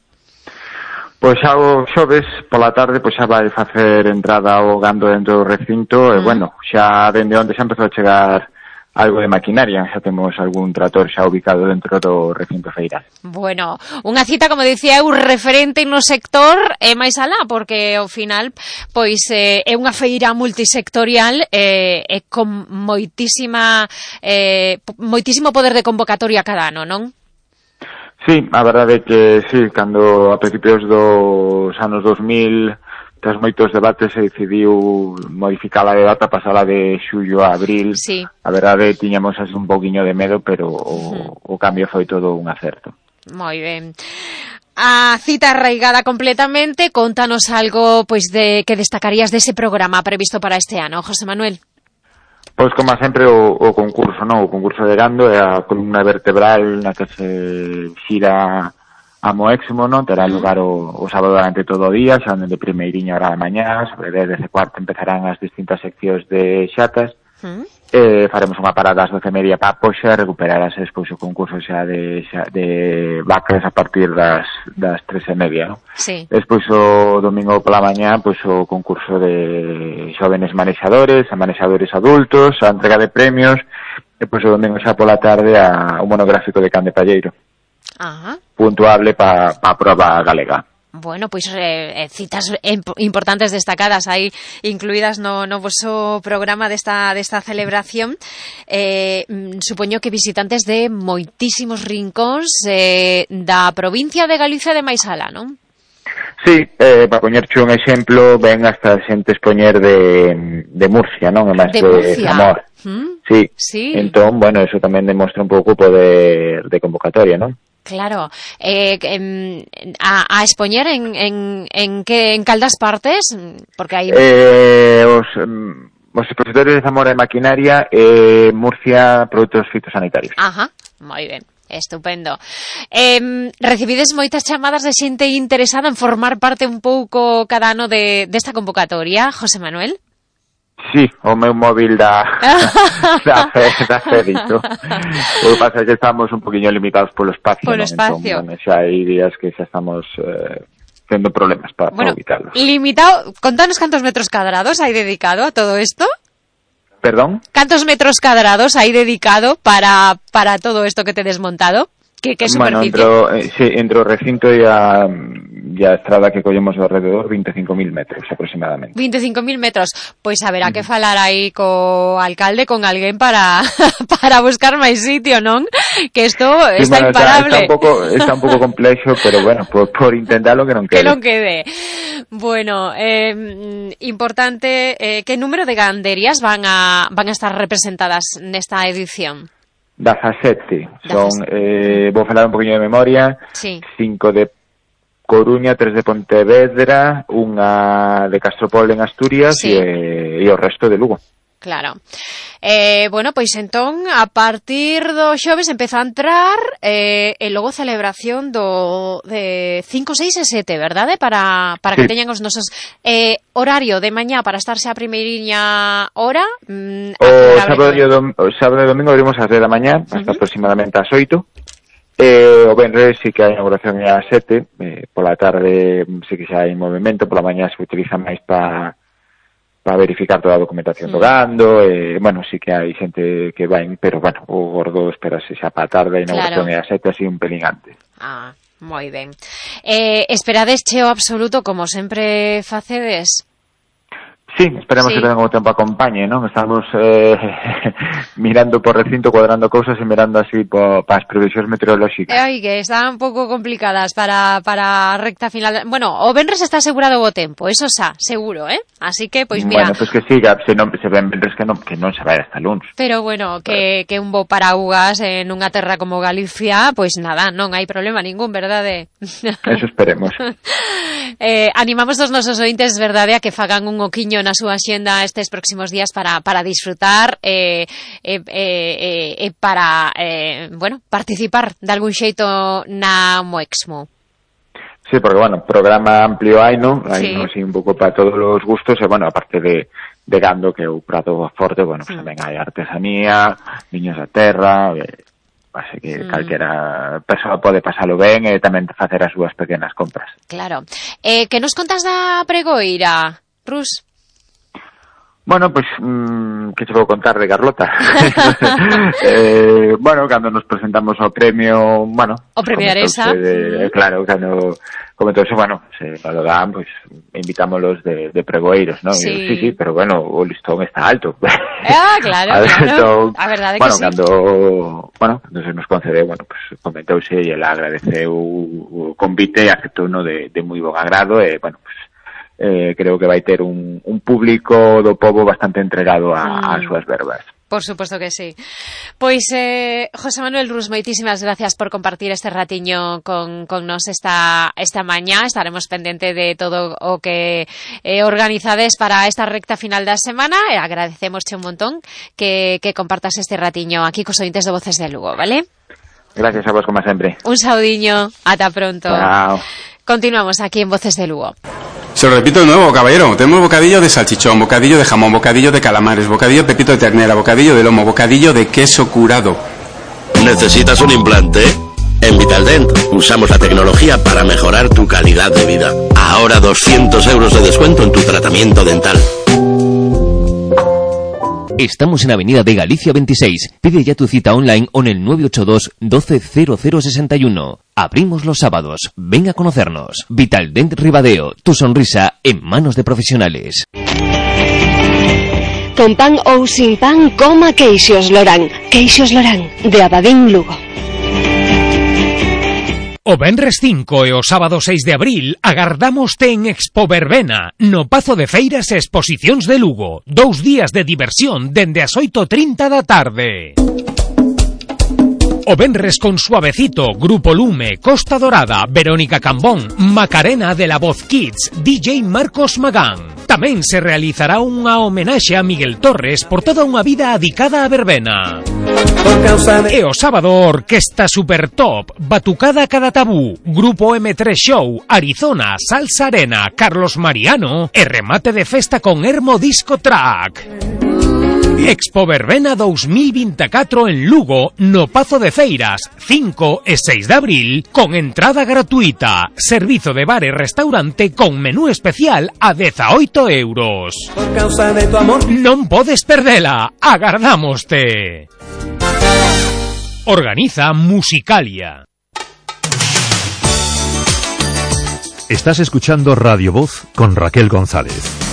Pois xa o xoves pola tarde pois xa vai facer entrada ao gando dentro do recinto, mm. e bueno, xa dende onde xa empezou a chegar algo de maquinaria, xa temos algún trator xa ubicado dentro do recinto feiral. Bueno, unha cita, como dicía eu, referente no sector e máis alá, porque ao final pois eh, é unha feira multisectorial e eh, con moitísima eh, moitísimo poder de convocatoria cada ano, non? Sí, a verdade é que sí, cando a principios dos anos dos mil, tras moitos debates, se decidiu modificar a data, pasala de xullo a abril. Sí. A verdade, tiñamos así un poquinho de medo, pero o, uh-huh. o cambio foi todo un acerto. Moi ben. A cita arraigada completamente, contanos algo pois de que destacarías dese programa previsto para este ano, José Manuel. Pois, como sempre, o, o concurso, non? O concurso de gando é a columna vertebral na que se xira a Moexmo, non? Terá lugar o, o sábado durante todo o día, xa de primeiriña hora da mañá, sobre dez e cuarto empezarán as distintas seccións de xatas, uh-huh. e faremos unha parada ás doce e media para poxa, recuperarase despois o concurso xa de, xa de vacas a partir das, das tres e media, non? Sí. Despois o domingo pola mañá, pois o concurso de xóvenes manexadores, a manexadores adultos, a entrega de premios, e pois o domingo xa pola tarde a un monográfico de can de palleiro. Ajá. Puntuable para pa a prova galega. Bueno, pois eh, citas importantes destacadas aí incluídas no, no voso programa desta, desta celebración. Eh, supoño que visitantes de moitísimos rincóns eh, da provincia de Galicia de máis alá, non? Sí, eh, para poñerche un exemplo, ven hasta xente expoñer de, de Murcia, non? E máis de, de Murcia. Zamora. ¿Mm? Sí. sí. Entón, bueno, eso tamén demostra un pouco o poder de convocatoria, non? Claro, eh, a, a expoñer en, en, en que en caldas partes, porque hai eh, os, os expositores de Zamora de maquinaria e eh, Murcia produtos fitosanitarios. Ajá, moi ben. Estupendo. Eh, recibides moitas chamadas de xente interesada en formar parte un pouco cada ano de desta convocatoria, José Manuel? Sí, o meu móvil da da, da Fedito. O que pasa é que estamos un poquinho limitados polo espacio. Polo ¿no? espacio. Entón, bueno, xa hai días que xa estamos eh, tendo problemas para bueno, ubicarlos. Limitado, contanos cantos metros cuadrados hai dedicado a todo isto. Perdón? Cantos metros cuadrados hai dedicado para para todo isto que te he desmontado? Que, que bueno, superficie? Bueno, eh, sí, entre o recinto e a, e a estrada que collemos alrededor, veinticinco mil metros aproximadamente. veinticinco mil metros. Pois haberá que falar aí co alcalde, con alguén para para buscar máis sitio, non? Que isto sí, está bueno, imparable. Está, está, un pouco, está un pouco complexo, pero bueno, por, por intentarlo que non quede. Que non quede. Bueno, eh, importante, eh, que número de ganderías van a van a estar representadas nesta edición? dezasete. Son, eh, vou falar un poquinho de memoria. Sí. Cinco de Coruña, tres de Pontevedra, unha de Castropol en Asturias sí. e, e o resto de Lugo. Claro. Eh, bueno, pois entón, a partir do xoves empeza a entrar eh, e logo celebración do de cinco, seis e sete, verdade? Para, para sí. que teñan os nosos eh, horario de mañá para estarse a primeiriña hora. Mm, o, sábado e dom, o sábado e domingo abrimos ás dez da mañá, hasta uh-huh. aproximadamente ás oito. Eh, o venres sí que a inauguración é ás sete, eh, pola tarde sí que xa hai movimento, pola mañá se utiliza máis para para verificar toda a documentación do gando, e, bueno, sí que hai xente que vai, pero, bueno, o gordo esperase xa para a tarde, a inauguración claro. é a sete, así un pelín antes. Ah, moi ben. Eh, esperades cheo absoluto, como sempre facedes? Sí, esperemos sí. que tamén o tempo acompañe, non? Estamos eh, mirando por recinto, cuadrando cousas e mirando así para pa as previsións meteorolóxicas. Ai, que están un pouco complicadas para para a recta final. Bueno, o venres está asegurado o tempo, eso xa, seguro, eh? Así que, pois mira... Bueno, pois pues que siga, se non se ven venres que non, que non se vai hasta luns. Pero bueno, que, que un bo paraugas en unha terra como Galicia, pois nada, non hai problema ningún, verdade? Eso esperemos. eh, animamos os nosos ointes, verdade, a que fagan un oquiño na súa xenda estes próximos días para, para disfrutar e eh, eh, eh, eh, para, eh, bueno, participar de algún xeito na Moexmo. Sí, porque, bueno, programa amplio hai, non? Hai, sí. non, así, un pouco para todos os gustos, e, bueno, aparte de, de gando, que é o prato forte, bueno, pues, mm. tamén hai artesanía, niños da terra, eh, así que mm. calquera persoa pode pasalo ben e tamén facer as súas pequenas compras. Claro. Eh, que nos contas da pregoira, Rus? Bueno, pues, mmm, que se puedo contar de Carlota? eh, bueno, cando nos presentamos ao premio, bueno... O premio Aresa. De, claro, cando comentouse, bueno, se valoran, pues, invitámoslos de, de pregoeiros, ¿no? Sí. Y, sí, sí, pero bueno, o listón está alto. Ah, claro, a claro. Entón, A verdade bueno, que sí. cando, bueno, cando se nos concede, bueno, pues, comentouse e ela agradeceu o convite e aceptou uno de, de moi bon agrado e, bueno, pues, Eh, creo que vai ter un, un público do pobo bastante entregado a, mm. a súas verbas. Por supuesto que sí. Pois, eh, José Manuel Rus, moitísimas gracias por compartir este ratiño con, con nos esta, esta mañá. Estaremos pendente de todo o que eh, organizades para esta recta final da semana e agradecemosche un montón que, que compartas este ratiño aquí cos ointes de Voces de Lugo, vale? Gracias a vos, como sempre. Un saudiño, ata pronto. Chao. Continuamos aquí en Voces de Lugo. Se lo repito de nuevo, caballero. Tenemos bocadillo de salchichón, bocadillo de jamón, bocadillo de calamares, bocadillo de pepito de ternera, bocadillo de lomo, bocadillo de queso curado. ¿Necesitas un implante? En Vitaldent usamos la tecnología para mejorar tu calidad de vida. Ahora doscientos euros de descuento en tu tratamiento dental. Estamos en Avenida de Galicia veintiséis. Pide ya tu cita online o en el nueve ocho dos, doce, cero cero sesenta y uno. Abrimos los sábados. Ven a conocernos. Vitaldent Ribadeo. Tu sonrisa en manos de profesionales. Con pan ou sin pan, coma Queixos Lorán. Queixos Lorán, de Abadín Lugo. O venres cinco e o sábado seis de abril agardámoste en Expo Verbena, no Pazo de Feiras e Exposicións de Lugo. Dous días de diversión dende as oito e trinta da tarde. O venres con Suavecito, Grupo Lume, Costa Dorada, Verónica Cambón, Macarena de la Voz Kids, D J Marcos Magán. Tamén se realizará unha homenaxe a Miguel Torres por toda unha vida adicada a verbena. E o sábado, Orquesta Super Top, Batucada Cada Tabú, Grupo eme tres Show, Arizona, Salsa Arena, Carlos Mariano e remate de festa con Hermo Disco Track. Expo Verbena dous mil veinticuatro en Lugo, no Pazo de Feiras, cinco e seis de abril, con entrada gratuita. Servizo de bar e restaurante con menú especial a dezaoito euros. Por causa de tu amor. Non podes perdela, agardámoste. Organiza Musicalia. Estás escuchando Radio Voz con Raquel González.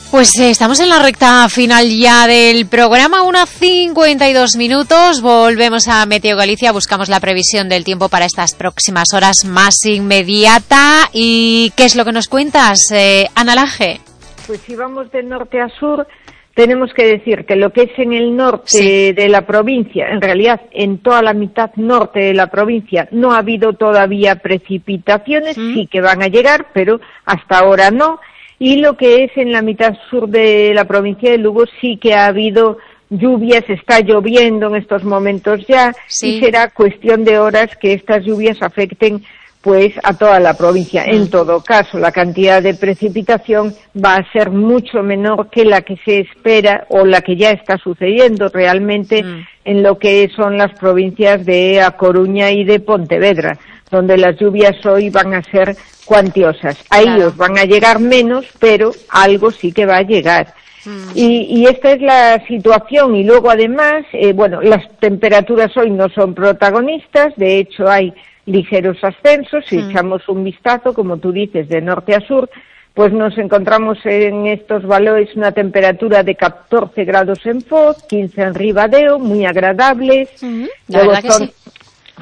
Pues eh, estamos en la recta final ya del programa, una cincuenta y dos minutos. Volvemos a Meteo Galicia, buscamos la previsión del tiempo para estas próximas horas más inmediata. ¿Y qué es lo que nos cuentas, eh, Ana Laje? Pues si vamos de norte a sur, tenemos que decir que lo que es en el norte sí. de la provincia, en realidad en toda la mitad norte de la provincia, no ha habido todavía precipitaciones, ¿Mm? sí que van a llegar, pero hasta ahora no. Y lo que es en la mitad sur de la provincia de Lugo sí que ha habido lluvias, está lloviendo en estos momentos ya, sí. y será cuestión de horas que estas lluvias afecten pues a toda la provincia. Mm. En todo caso, la cantidad de precipitación va a ser mucho menor que la que se espera o la que ya está sucediendo realmente mm. en lo que son las provincias de A Coruña y de Pontevedra, donde las lluvias hoy van a ser cuantiosas. A claro. ellos van a llegar menos, pero algo sí que va a llegar. Mm. Y, y esta es la situación. Y luego, además, eh, bueno, las temperaturas hoy no son protagonistas, de hecho hay ligeros ascensos. Si mm. echamos un vistazo, como tú dices, de norte a sur, pues nos encontramos en estos valores una temperatura de catorce grados en Foz, quince en Ribadeo, muy agradables. Mm-hmm. La luego verdad son, que sí.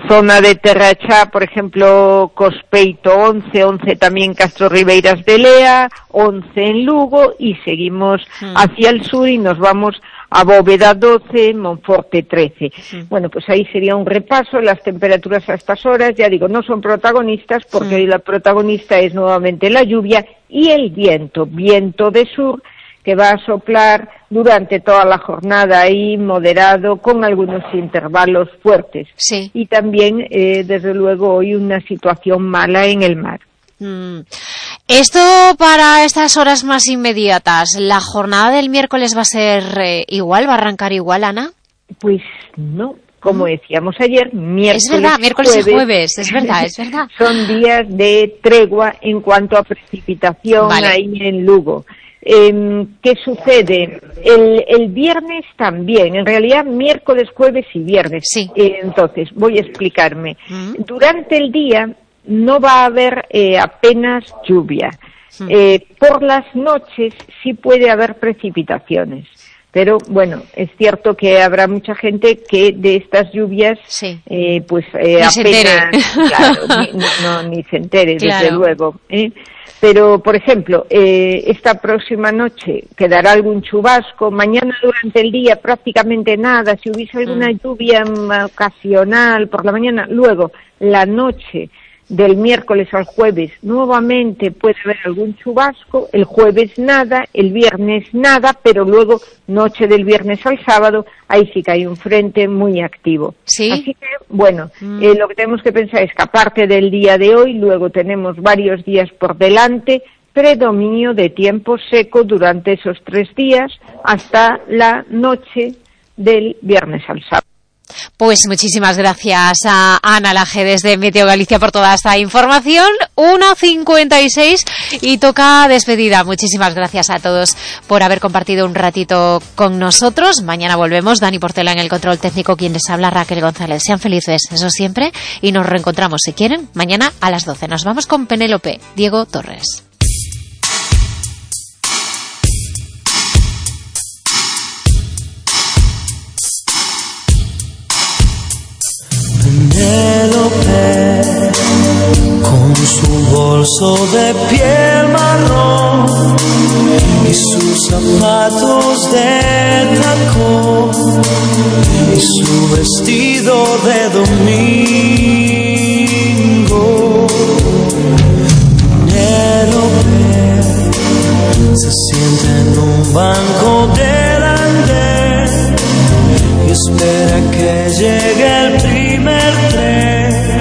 Zona de Terrachá, por ejemplo, Cospeito once, once también Castro Ribeiras de Lea, once en Lugo, y seguimos mm. hacia el sur y nos vamos a Bóveda doce, Monforte trece. Mm. Bueno, pues ahí sería un repaso. Las temperaturas a estas horas, ya digo, no son protagonistas porque mm. hoy la protagonista es nuevamente la lluvia y el viento, viento de sur, que va a soplar durante toda la jornada ahí, moderado, con algunos intervalos fuertes. Sí. Y también, eh, desde luego, hoy una situación mala en el mar. Mm. Esto para estas horas más inmediatas, ¿la jornada del miércoles va a ser eh, igual, va a arrancar igual, Ana? Pues no, como decíamos ayer, miércoles, es verdad, miércoles jueves, y jueves, es verdad, es verdad. Son días de tregua en cuanto a precipitación vale. ahí en Lugo. Eh, ¿Qué sucede? El, el viernes también, en realidad miércoles, jueves y viernes. Sí. Eh, entonces, voy a explicarme. Uh-huh. Durante el día no va a haber eh, apenas lluvia. Uh-huh. Eh, por las noches sí puede haber precipitaciones. Pero bueno, es cierto que habrá mucha gente que de estas lluvias, sí. eh, pues eh, ni apenas, se entere. Claro, ni, no, ni se entere, claro. desde luego. ¿eh? Pero, por ejemplo, eh, esta próxima noche quedará algún chubasco, mañana durante el día prácticamente nada, si hubiese alguna mm. lluvia ocasional por la mañana, luego la noche del miércoles al jueves nuevamente puede haber algún chubasco, el jueves nada, el viernes nada, pero luego noche del viernes al sábado, ahí sí que hay un frente muy activo. ¿Sí? Así que, bueno, mm. eh, lo que tenemos que pensar es que aparte del día de hoy, luego tenemos varios días por delante, predominio de tiempo seco durante esos tres días hasta la noche del viernes al sábado. Pues muchísimas gracias a Ana Laje desde Meteo Galicia por toda esta información. uno cincuenta y seis y toca despedida. Muchísimas gracias a todos por haber compartido un ratito con nosotros. Mañana volvemos. Dani Portela en el control técnico, quien les habla, Raquel González. Sean felices, eso siempre, y nos reencontramos, si quieren, mañana a las doce. Nos vamos con Penélope, Diego Torres. Penélope, con su bolso de piel marrón y sus zapatos de tacón y su vestido de domingo. Penélope se sienta en un banco del andén y espera que llegue el primer tren,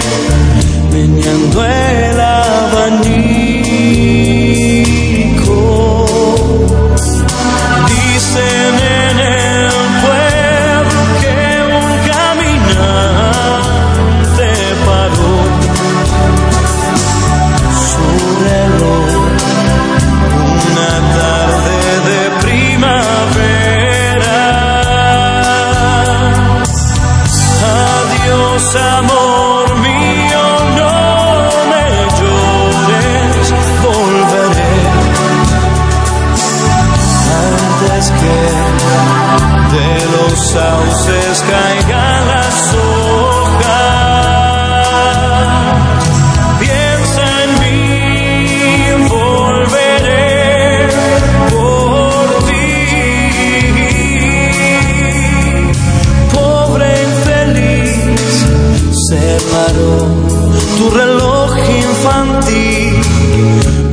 meneando el abanico. Dicen en el pueblo que un caminante paró su reloj una tarde de primavera. Adiós, amor mío, no me llores, volveré antes que de los sauces caigan las hojas. Piensa en mí, volveré por ti. Pobre infeliz, se paró tu reloj infantil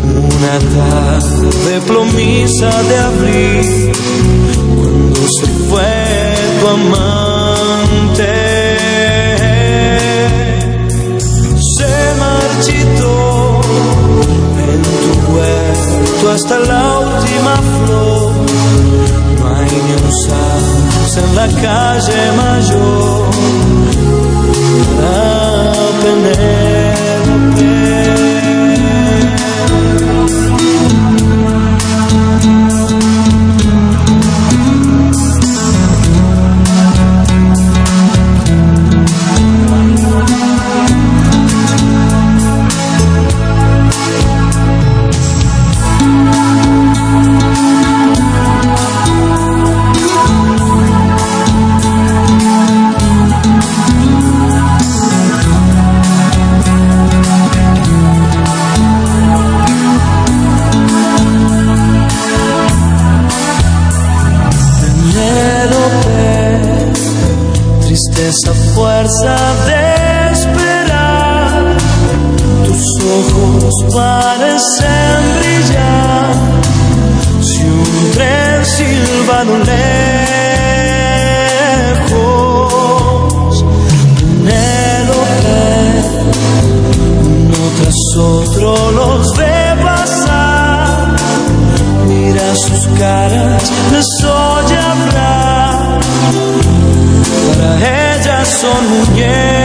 una tarde plomiza de abril, cuando se fue tu amante. Se marchitó en tu huerto hasta la última flor. No hay ni un sauce en la calle mayor para Penélope. Esa fuerza de esperar, tus ojos parecen brillar. Si un tren silba a lo lejos, Penélope, uno tras otro los ve pasar. Mira sus caras, les oye hablar. Para ellas son muñecas.